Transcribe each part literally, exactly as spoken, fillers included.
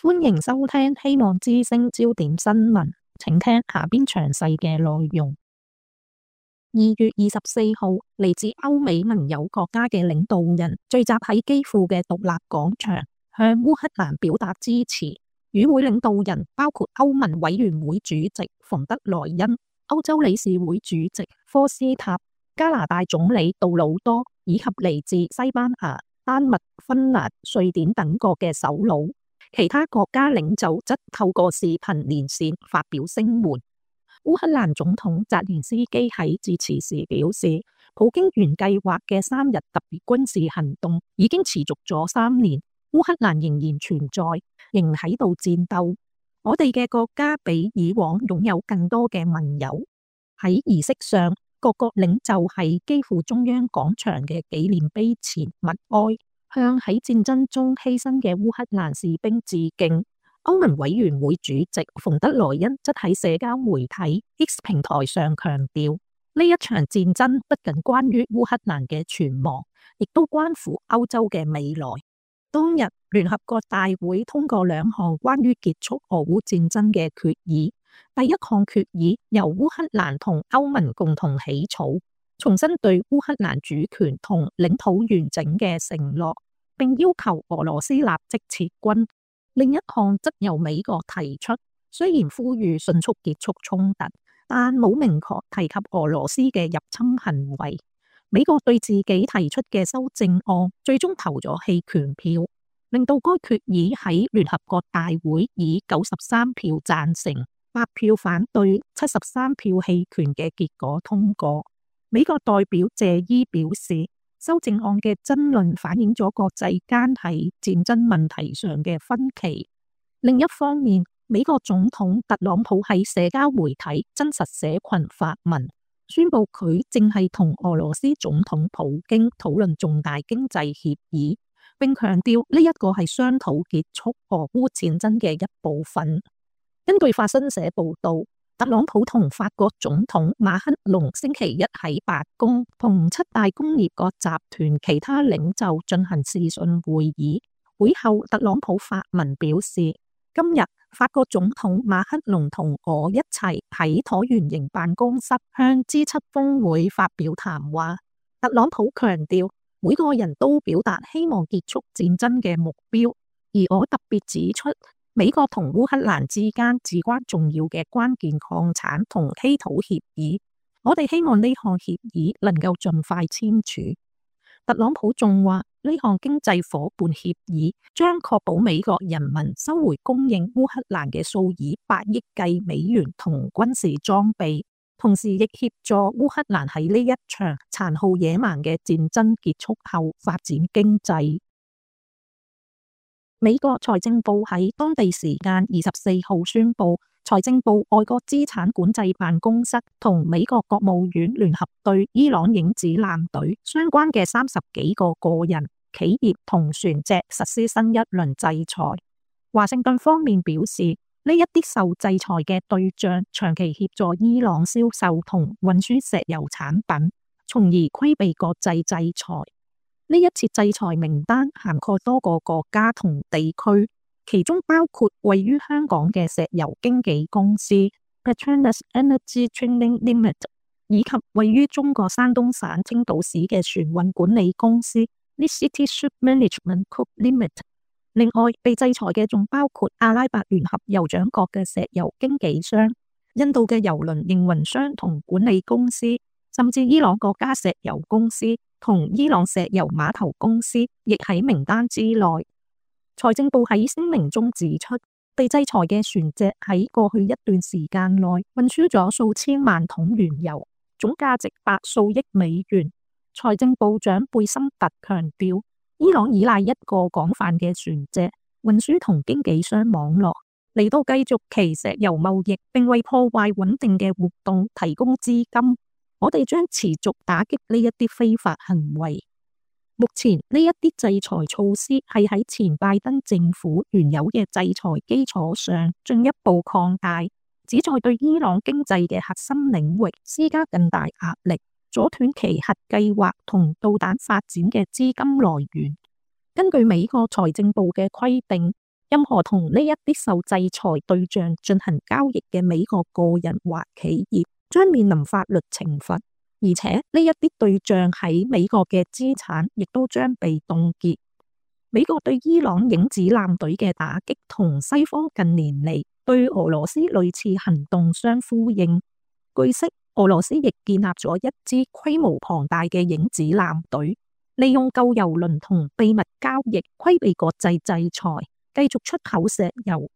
歡迎收聽希望之聲焦點新聞，請聽下邊詳細嘅內容。二月二十四號，嚟自歐美盟友國家嘅領導人聚集喺基輔嘅獨立廣場，向烏克蘭表達支持。與會領導人包括歐盟委員會主席馮德萊恩、歐洲理事會主席科斯塔、加拿大總理杜魯多以及嚟自西班牙、丹麥、芬蘭、瑞典等國嘅首腦。其他國家領袖則透過視頻連線發表聲援。烏克蘭總統澤連斯基喺致辭時表示，普京原計劃嘅三日特別軍事行動已經持續咗三年，烏克蘭仍然存在，仍喺度戰鬥。我哋嘅國家比以往擁有更多嘅盟友。喺儀式上，各國領袖喺基輔中央廣場嘅紀念碑前默哀，向喺戰爭中犧牲嘅烏克蘭士兵致敬。歐盟委員會主席馮德萊恩則喺社交媒體 X 平台上強調，呢一場戰爭不僅關於烏克蘭嘅存亡，亦都關乎歐洲嘅未來。當日，聯合國大會通過兩項關於結束俄烏戰爭嘅決議。第一項決議由烏克蘭同歐盟共同起草，重申對烏克蘭主權同領土完整嘅承諾，並要求俄羅斯立即撤軍。另一項則由美國提出，雖然呼籲迅速結束衝突，但冇明確提及俄羅斯嘅入侵行為。美國對自己提出嘅修正案最終投咗棄權票，令到該決議喺聯合國大會以九十三票贊成、八票反對、七十三票棄權嘅結果通過。美國代表謝伊表示，修正案嘅爭論反映咗國際間喺戰爭問題上嘅分歧。另一方面，美國總統特朗普喺社交媒體真實社群發文，宣布佢正係同俄羅斯總統普京討論重大經濟協議，並強調呢一個係商討結束俄烏戰爭嘅一部分。根據法新社報道，特朗普同法國總統馬克龍星期一喺白宮同七大工業國集團其他領袖進行視訊會議。會後，特朗普發文表示，今日法國總統馬克龍同我一齊喺橢圓形辦公室向 G 七 峰會發表談話。特朗普強調，每個人都表達希望結束戰爭嘅目標，而我特別指出，美國同烏克蘭之間至關重要嘅關鍵礦產同稀土協議，我哋希望呢項協議能夠盡快簽署。特朗普仲話，呢項經濟夥伴協議將確保美國人民收回供應烏克蘭嘅數以百億計美元同軍事裝備，同時亦協助烏克蘭喺呢一場殘酷野蠻嘅戰爭結束後發展經濟。美國財政部喺當地時間二十四號宣布，財政部外國資產管制辦公室同美國國務院聯合對伊朗影子艦隊相關嘅三十幾個個人、企業同船隻實施新一輪制裁。華盛頓方面表示，呢一啲受制裁嘅對象長期協助伊朗銷售同運輸石油產品，從而規避國際制裁。呢一次制裁名單涵蓋多個國家同地區，其中包括位於香港嘅石油經紀公司 Petronas Energy Trading Limited， 以及位於中國山東省青島市嘅船運管理公司 Nicity Ship Management Co Limited。另外，被制裁嘅仲包括阿拉伯聯合酋長國嘅石油經紀商、印度嘅郵輪營運商同管理公司，甚至伊朗國家石油公司同伊朗石油碼頭公司亦喺名單之內。財政部喺聲明中指出，被制裁嘅船隻喺過去一段時間內運輸咗數千萬桶原油，總價值百數億美元。財政部長貝森特強調，伊朗依賴一個廣泛嘅船隻運輸同經紀商網絡嚟到繼續其石油貿易，並為破壞穩定嘅活動提供資金。我哋將持續打擊呢一啲非法行為。目前呢一啲制裁措施係喺前拜登政府原有嘅制裁基礎上進一步擴大，旨在對伊朗經濟嘅核心領域施加更大壓力，阻斷其核計劃同導彈發展嘅資金來源。根據美國財政部嘅規定，任何同呢一啲受制裁對象進行交易嘅美國個人或企業將面臨法律懲罰，而且呢一啲對象喺美國嘅資產亦都將被凍結。美國對伊朗影子艦隊嘅打擊同西方近年嚟對俄羅斯類似行動相呼應。據悉，俄羅斯亦建立咗一支規模龐大嘅影子艦隊，利用舊油輪同秘密交易規避國際制裁，繼續出口石油。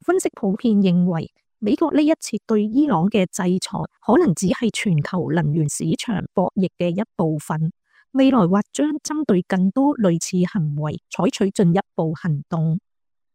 分析普遍認為，美國呢一次對伊朗嘅制裁可能只係全球能源市場博弈嘅一部分。未來或將針對更多類似行為採取進一步行動。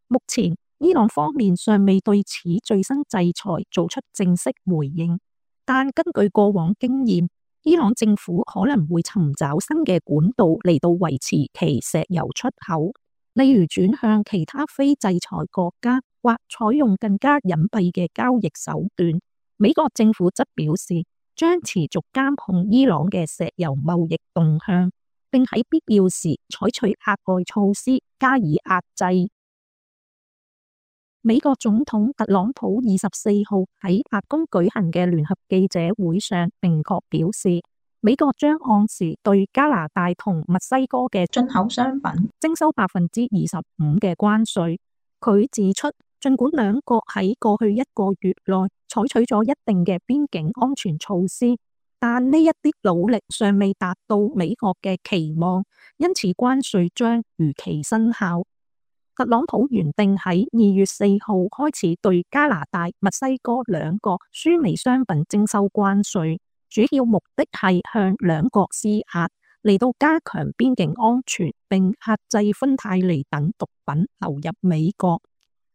目前，伊朗方面尚未對此最新制裁做出正式回應，但根據過往經驗，伊朗政府可能會尋找新嘅管道嚟到維持其石油出口，例如轉向其他非制裁國家，或採用更加隱蔽嘅交易手段。美國政府則表示，將持續監控伊朗嘅石油貿易動向，並喺必要時採取額外措施加以壓制。美國總統特朗普二十四號喺白宮舉行嘅聯合記者會上明確表示，美國將按時對加拿大同墨西哥嘅進口商品徵收百分之二十五嘅關稅。佢指出，儘管兩國喺過去一個月內採取咗一定嘅邊境安全措施，但呢一啲努力尚未達到美國嘅期望，因此關稅將如期生效。特朗普原定喺二月四號開始對加拿大、墨西哥兩國輸美商品徵收關稅，主要目的係向兩國施壓，嚟到加強邊境安全，並壓制芬太尼等毒品流入美國。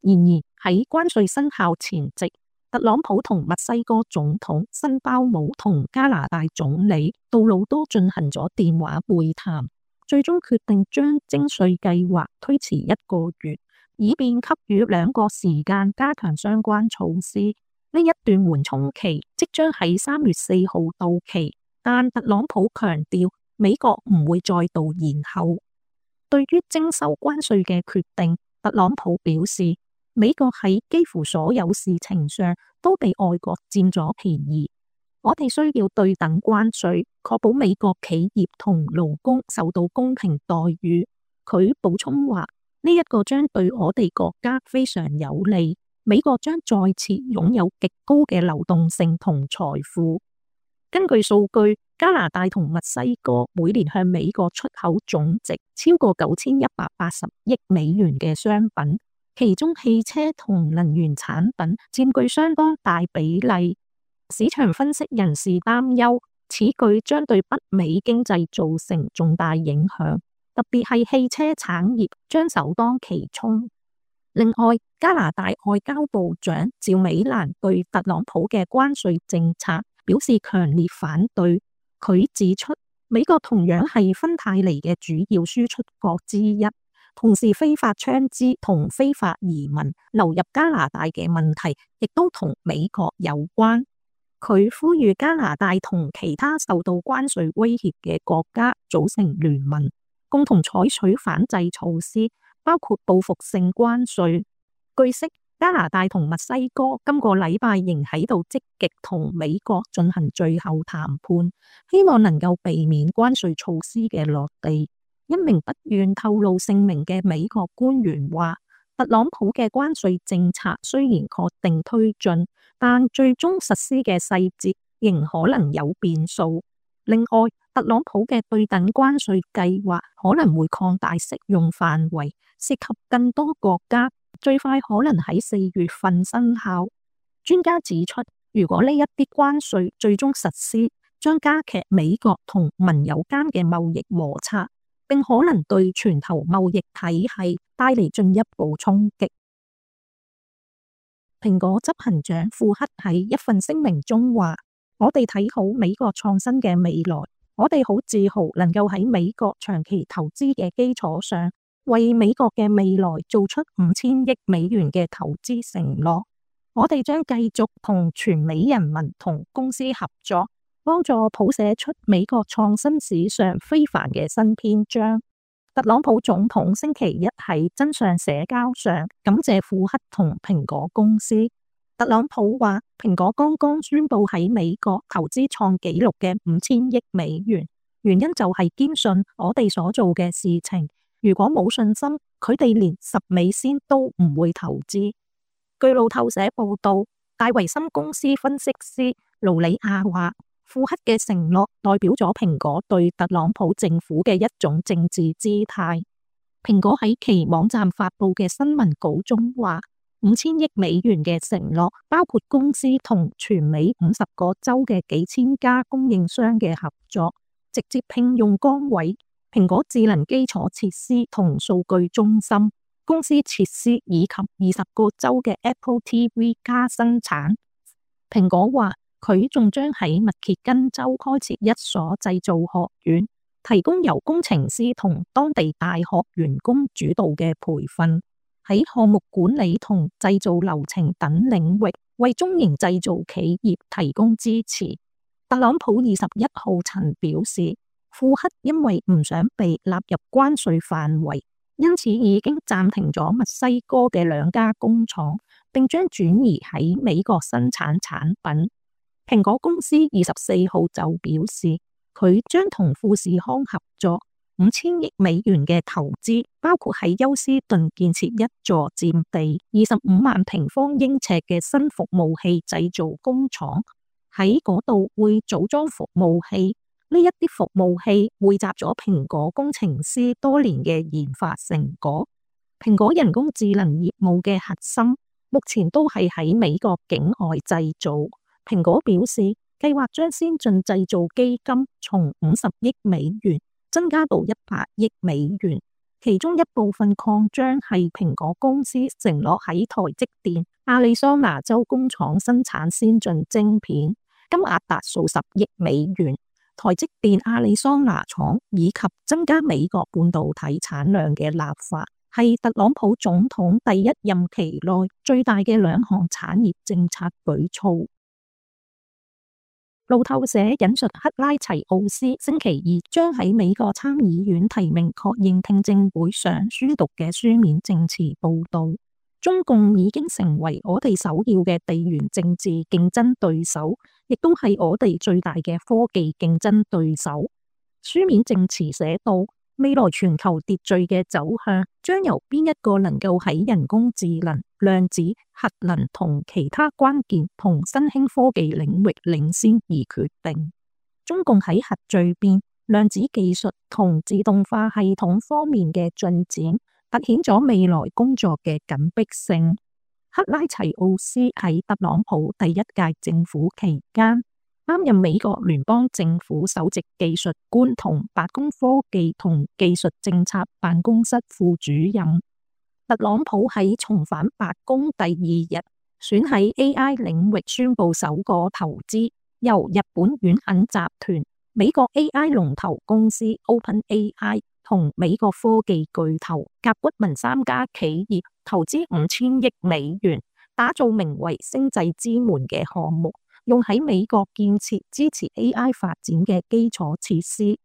然而喺關稅生效前夕，特朗普同墨西哥總統辛鮑姆同加拿大總理杜魯多進行咗電話會談，最終決定將徵稅計劃推遲一個月，以便給予兩國時間加強相關措施。呢一段緩衝期即將喺三月四號到期，但特朗普強調美國唔會再度延後。對於徵收關稅嘅決定，特朗普表示，美國喺幾乎所有事情上都被外國佔咗便宜，我哋需要對等關稅，確保美國企業同勞工受到公平待遇。佢補充話，呢一個將對我哋國家非常有利，美國將再次擁有極高嘅流動性同財富。根據數據，加拿大同墨西哥每年向美國出口總值超過九千一百八十億美元嘅商品，其中汽車同能源產品佔據相當大比例。市場分析人士擔憂，此舉將對北美經濟造成重大影響，特別係汽車產業將首當其衝。另外，加拿大外交部長趙美蘭對特朗普嘅關稅政策表示強烈反對。佢指出，美國同樣係芬太尼嘅主要輸出國之一，同時非法槍支同非法移民流入加拿大嘅問題亦都同美國有關。佢呼籲加拿大同其他受到關稅威脅嘅國家組成聯盟，共同採取反制措施，包括報復性關稅。據悉，加拿大同墨西哥今個禮拜仍喺度積極同美國進行最後談判，希望能夠避免關稅措施嘅落地。一名不願透露姓名嘅美國官員話，特朗普嘅關稅政策雖然確定推進，但最終實施嘅細節仍可能有變數。另外，特朗普嘅對等關稅計劃可能會擴大適用範圍，涉及更多國家，最快可能喺四月份生效。專家指出，如果呢一啲關稅最終實施，將加劇美國同盟友間嘅貿易摩擦，並可能對全球貿易體系帶嚟進一步衝擊。蘋果執行長庫克喺一份聲明中話，我哋睇好美國創新嘅未來，我哋好自豪能夠喺美國長期投資嘅基礎上，為美國嘅未來做出五千億美元嘅投資承諾。我哋將繼續同全美人民同公司合作，幫助譜寫出美國創新史上非凡嘅新篇章。特朗普總統星期一喺真相社交上感謝庫克同蘋果公司。特朗普話：蘋果剛剛宣布喺美國投資創紀錄嘅五千億美元，原因就係堅信我哋所做嘅事情。如果冇信心，佢哋連十美仙都唔會投資。據路透社報道，戴維森公司分析師盧里亞話：庫克嘅承諾代表咗蘋果對特朗普政府嘅一種政治姿態。蘋果喺其網站發佈嘅新聞稿中話，五千億美元嘅承諾包括公司同全美五十個州嘅幾千家供應商嘅合作，直接聘用崗位、蘋果智能基礎設施同數據中心、公司設施以及二十個州嘅 Apple T V 加生產。蘋果話，佢仲將喺密歇根州開設一所製造學院，提供由工程師同當地大學員工主導嘅培訓，喺項目管理同製造流程等領域為中型製造企業提供支持。特朗普二十一號曾表示，庫克因為唔想被納入關稅範圍，因此已經暫停咗墨西哥嘅兩家工廠，並將轉移喺美國生產產品。蘋果公司二十四號就表示，佢將同富士康合作五千億美元嘅投資，包括喺休斯頓建設一座佔地二十五萬平方英尺嘅新服務器製造工廠，喺嗰度會組裝服務器。呢一啲服務器匯集咗蘋果工程師多年嘅研發成果。蘋果人工智能業務嘅核心目前都係喺美國境外製造。蘋果表示，計劃將先進製造基金從五十億美元增加到一百億美元，其中一部分擴張係蘋果公司承諾喺台積電亞利桑那州工廠生產先進晶片，金額達數十億美元。台積電亞利桑那廠以及增加美國半導體產量嘅立法，係特朗普總統第一任期內最大嘅兩項產業政策舉措。路透社引述克拉齊奧斯星期二將喺美國參議院提名確認聽證會上宣讀嘅書面證詞報道，中共已經成為我哋首要嘅地緣政治競爭對手，亦都係我哋最大嘅科技競爭對手。書面證詞寫到，未來全球秩序嘅走向將由邊一個能夠喺人工智能、量子、核能同其他關鍵同新興科技領域領先而決定。中共喺核聚變、量子技術同自動化系統方面嘅進展，凸顯咗未來工作嘅緊迫性。克拉齊奧斯喺特朗普第一屆政府期間，擔任美國聯邦政府首席技術官同白宮科技同技術政策辦公室副主任。特朗普喺重返白宮第二日，選喺 A I 領域宣布首個投資，由日本遠肯集團、美國 A I 龍頭公司 OpenAI 同美國科技巨頭甲骨文三家企業投資五千億美元，打造名為星際之門嘅項目，用喺美國建設支持 A I 發展嘅基礎設施。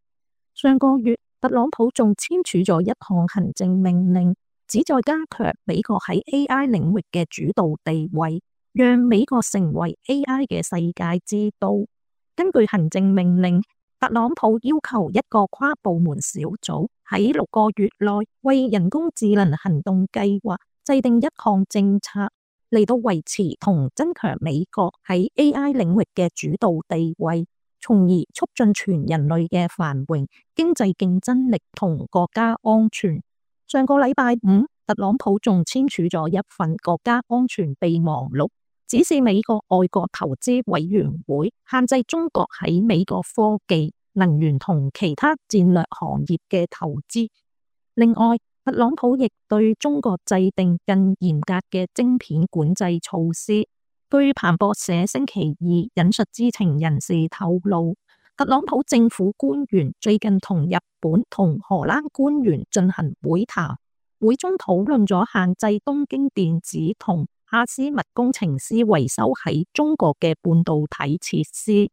上個月，特朗普仲簽署咗一項行政命令，旨在加強美國喺 A I 領域嘅主導地位，讓美國成為 A I 嘅世界之都。根據行政命令，特朗普要求一個跨部門小組喺六個月內為人工智能行動計劃制定一項政策，嚟到維持同增強美國喺 A I 領域嘅主導地位，從而促進全人類嘅繁榮、經濟競爭力同國家安全。上個禮拜五，特朗普仲簽署咗一份國家安全備忘錄，指示美國外國投資委員會限制中國喺美國科技、能源同其他戰略行業嘅投資。另外，特朗普亦對中國制定更嚴格嘅晶片管制措施。據彭博社星期二引述知情人士透露，特朗普政府官員最近同日本同荷蘭官員進行會談，會中討論咗限制東京電子同阿斯麥工程師維修喺中國嘅半導體設施。